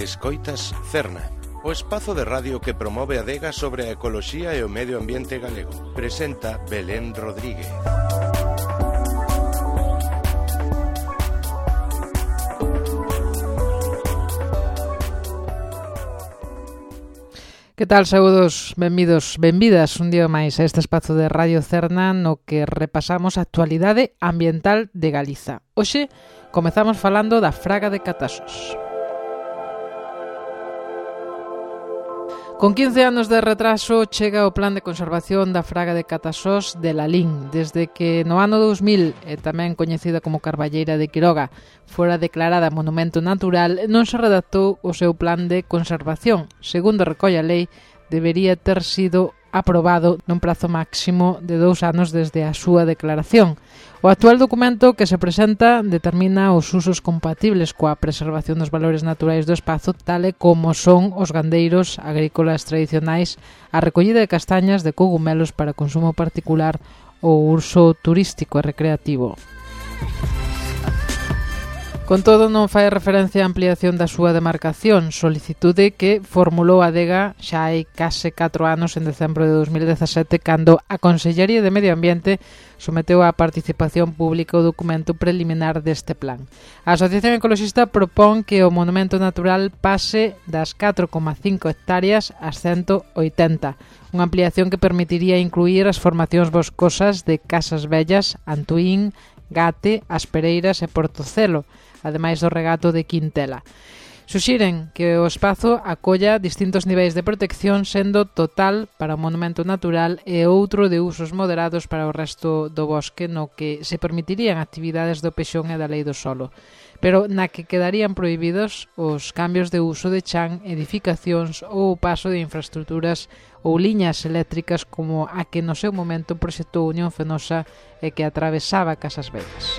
Escoitas Cerna, o espazo de radio que promove a adega sobre a ecoloxía e o medio ambiente galego. Presenta Belén Rodríguez. Que tal, saúdos, benvidos, benvidas un día máis a este espazo de Radio Cerna no que repasamos a actualidade ambiental de Galiza. Hoxe comezamos falando da fraga de Catasos. Con 15 anos de retraso chega o Plan de Conservación da Fraga de Catasós de Lalín, desde que no ano 2000, e tamén coñecida como Carballeira de Quiroga, fora declarada monumento natural, non se redactou o seu plan de conservación. Segundo recolle a lei, debería ter sido aprobado nun prazo máximo de 2 anos desde a súa declaración. O actual documento que se presenta determina os usos compatibles coa preservación dos valores naturais do espazo, tal e como son os gandeiros agrícolas tradicionais, a recollida de castañas, de cogumelos para consumo particular ou uso turístico e recreativo. Con todo, non fai referencia á ampliación da súa demarcación, solicitude que formulou a adega xa hai case 4 anos en decembro de 2017, cando a Consellería de Medio Ambiente someteu á participación pública o documento preliminar deste plan. A Asociación Ecoloxista propón que o monumento natural pase das 4,5 hectáreas ás 180, unha ampliación que permitiría incluir as formacións boscosas de Casas Vellas, Antuín, Gate, As Pereiras e Portocelo, ademais do regato de Quintela. Suxiren que o espazo acolla distintos niveis de protección, sendo total para o monumento natural e outro de usos moderados para o resto do bosque, no que se permitirían actividades do pexón e da lei do solo, pero na que quedarían prohibidos os cambios de uso de chan, edificacións ou o paso de infraestructuras ou liñas eléctricas como a que no seu momento proxectou Unión Fenosa e que atravesaba Casas Vellas.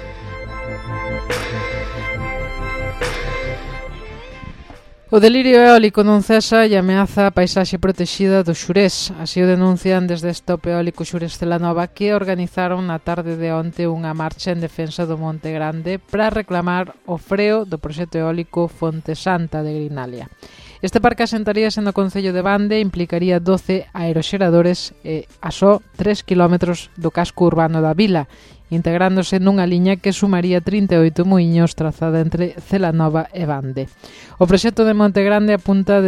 O delirio eólico non cesa e ameaza a paisaxe protexida do Xurés. Así o denuncian desde Stop Eólico Xurés Celanova, que organizaron na tarde de onte unha marcha en defensa do Monte Grande para reclamar o freo do proxecto eólico Fonte Santa de Grinalia. Este parque asentaríase no concello de Bande e implicaría 12 aeroxeradores e a só 3 km do casco urbano da vila, integrándose nunha liña que sumaría 38 muiños trazada entre Celanova e Bande. O proxecto de Monte Grande apuntan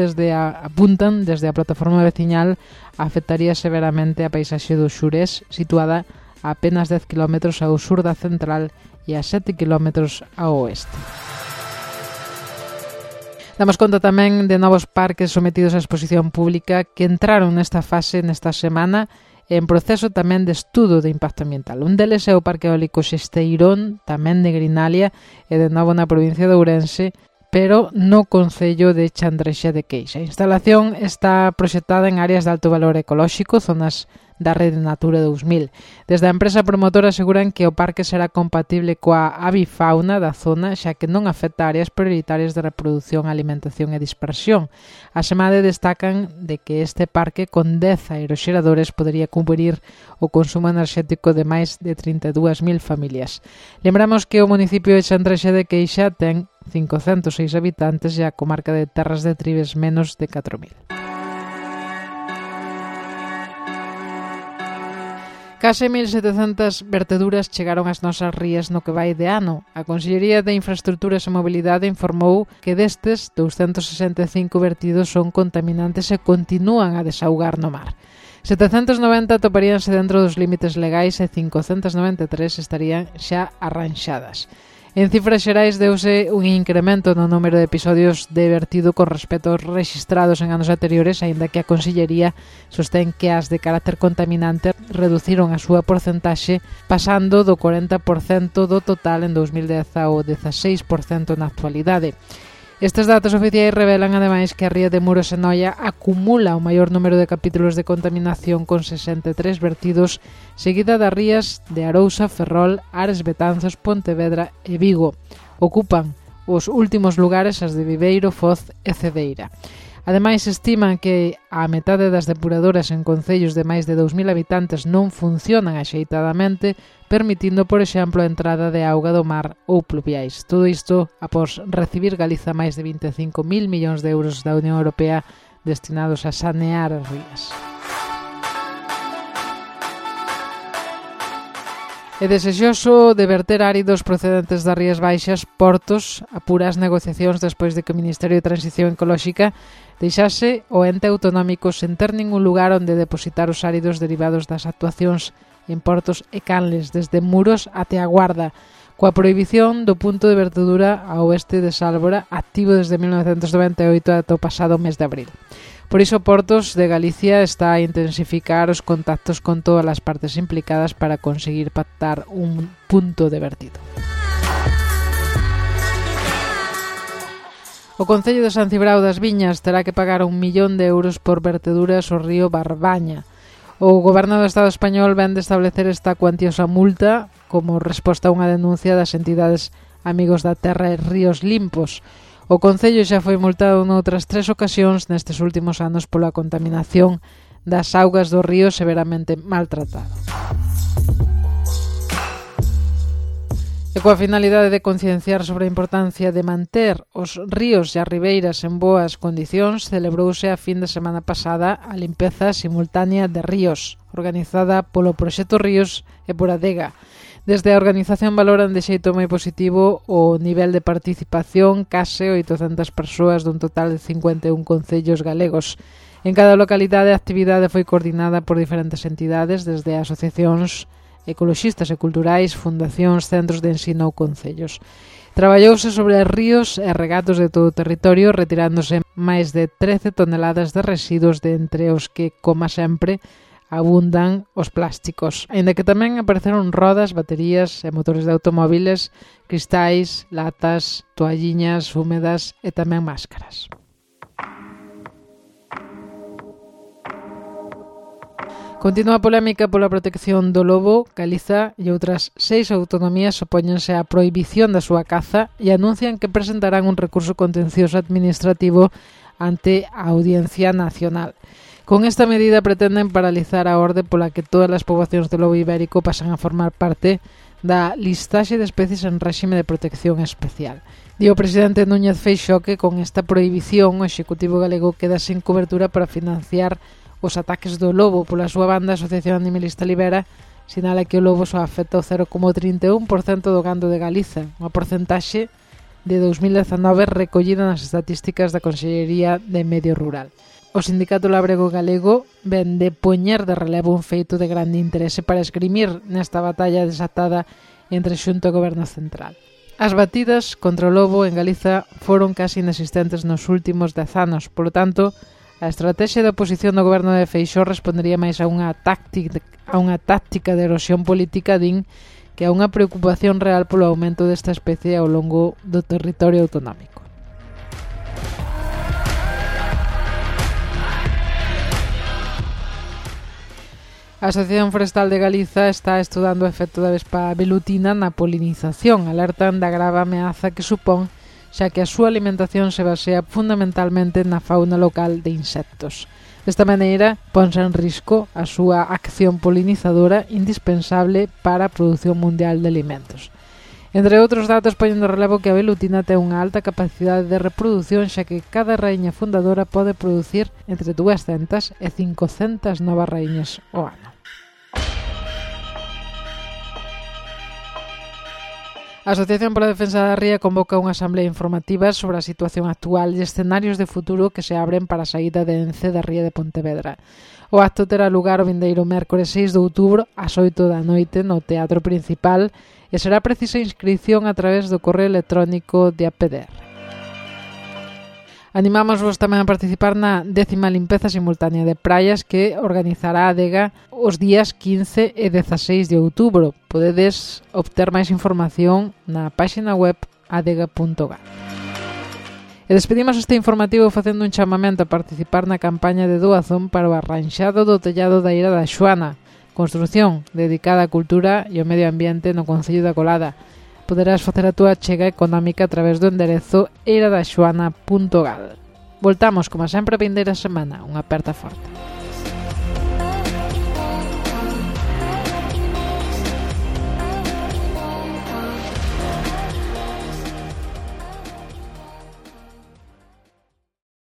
desde a plataforma veciñal afectaría severamente a paisaxe do Xurés, situada a apenas 10 km ao sur da central e a 7 km ao oeste. Damos conta tamén de novos parques sometidos á exposición pública que entraron nesta fase nesta semana en proceso tamén de estudo de impacto ambiental. Un deles é o Parque Eólico Xesteirón, tamén de Grinalia e de novo na provincia de Ourense, pero no concello de Chandrexa de Queixa. A instalación está proxectada en áreas de alto valor ecolóxico, zonas da Rede Natura 2000. Desde a empresa promotora aseguran que o parque será compatible coa avifauna da zona, xa que non afecta áreas prioritarias de reproducción, alimentación e dispersión. Asemade destacan de que este parque con 10 aeroxeradores podería cubrir o consumo enerxético de máis de 32.000 familias. Lembramos que o municipio de Chandrexa de Queixa ten 506 habitantes e a comarca de Terras de Tribes menos de 4.000. Case 1.700 verteduras chegaron ás nosas rías no que vai de ano. A Consellería de Infraestructuras e Mobilidade informou que destes 265 vertidos son contaminantes e continúan a desaugar no mar. 790 toparíanse dentro dos límites legais e 593 estarían xa arranxadas. En cifras xerais deuse un incremento no número de episodios de vertido con respecto aos rexistrados en anos anteriores, aínda que a Consellería sostén que as de carácter contaminante reduciron a súa porcentaxe pasando do 40% do total en 2010 ao 16% na actualidade. Estes datos oficiais revelan ademais que a ría de Muros e Noia acumula o maior número de capítulos de contaminación con 63 vertidos, seguida das rías de Arousa, Ferrol, Ares, Betanzos, Pontevedra e Vigo. Ocupan os últimos lugares as de Viveiro, Foz e Cedeira. Ademais, estiman que a metade das depuradoras en concellos de máis de 2.000 habitantes non funcionan axeitadamente, permitindo, por exemplo, a entrada de auga do mar ou pluviais. Todo isto após recibir Galiza máis de 25.000 millóns de euros da Unión Europea destinados a sanear as rías. É desexoso de verter áridos procedentes das Rías Baixas, Portos, apura as negociacións despois de que o Ministerio de Transición Ecolóxica deixase o ente autonómico sen ter ningún lugar onde depositar os áridos derivados das actuacións en Portos e Canles, desde Muros até a Guarda, coa prohibición do punto de vertedura a oeste de Sálvora, activo desde 1998 ata o pasado mes de abril. Por iso, Portos de Galicia está a intensificar os contactos con todas as partes implicadas para conseguir pactar un punto de vertido. O Concello de San Cibrao das Viñas terá que pagar 1 millón de euros por verteduras ao río Barbaña. O Goberno do Estado español vén de establecer esta cuantiosa multa como resposta a unha denuncia das entidades Amigos da Terra e Ríos Limpos. O Concello xa foi multado noutras 3 ocasións nestes últimos anos pola contaminación das augas do río severamente maltratado. E coa finalidade de concienciar sobre a importancia de manter os ríos e as ribeiras en boas condicións, celebrouse a fin de semana pasada a limpeza simultánea de ríos, organizada polo Proxecto Ríos e por Adega. Desde a organización valoran de xeito moi positivo o nivel de participación, case 800 persoas dun total de 51 concellos galegos. En cada localidade a actividade foi coordinada por diferentes entidades, desde asociacións ecoloxistas e culturais, fundacións, centros de ensino ou concellos. Traballouse sobre ríos e regatos de todo o territorio, retirándose máis de 13 toneladas de residuos, de entre os que, como sempre, abundan os plásticos, aínda que tamén apareceron rodas, baterías e motores de automóviles, cristais, latas, toalliñas húmedas e tamén máscaras. Continúa a polémica pola protección do lobo. Galiza e outras 6 autonomías opóñense á prohibición da súa caza e anuncian que presentarán un recurso contencioso administrativo ante a Audiencia Nacional. Con esta medida pretenden paralizar a orde pola que todas as poboacións do lobo ibérico pasan a formar parte da listaxe de especies en réxime de protección especial. Di o presidente Núñez Feixóo que con esta prohibición o Executivo galego queda sen cobertura para financiar os ataques do lobo. Pola súa banda, a Asociación Animalista Libera sinala que o lobo só afecta o 0,31% do gando de Galiza, unha porcentaxe de 2019 recollida nas estatísticas da Consellería de Medio Rural. O Sindicato Labrego Galego ven de poñer de relevo un feito de grande interese para esgrimir nesta batalla desatada entre Xunta e Goberno Central. As batidas contra o lobo en Galiza foron casi inexistentes nos últimos 10 anos, polo tanto, a estrategia de oposición do Goberno de Feixóo respondería máis a unha táctica de erosión política, din, que a unha preocupación real polo aumento desta especie ao longo do territorio autonómico. A Asociación Forestal de Galiza está estudando o efecto da vespa velutina na polinización. Alertan da grave ameaza que supón, xa que a súa alimentación se basea fundamentalmente na fauna local de insectos. Desta maneira, ponse en risco a súa acción polinizadora indispensable para a produción mundial de alimentos. Entre outros datos, poñen no relevo que a velutina ten unha alta capacidade de reproducción, xa que cada raíña fundadora pode producir entre 200 e 500 novas raíñas ao ano. A Asociación pola Defensa da Ría convoca unha asamblea informativa sobre a situación actual e escenarios de futuro que se abren para a saída de Ence da Ría de Pontevedra. O acto terá lugar o vindeiro mércores 6 de outubro ás 8 da noite no Teatro Principal e será precisa inscrición a través do correo electrónico de APDR. Animámosvos tamén a participar na 10ª limpeza simultánea de praias que organizará a Adega os días 15 e 16 de outubro. Podedes obter máis información na páxina web adega.gal. E despedimos este informativo facendo un chamamento a participar na campaña de doazón para o arranxado do tellado da Ira da Xoana, construción dedicada á cultura e ao medio ambiente no Concello da Colada. Poderás facer a túa achega económica a través do enderezo eiradaxoana.gal. Voltamos, como sempre, a vindeira semana. Unha aperta forte.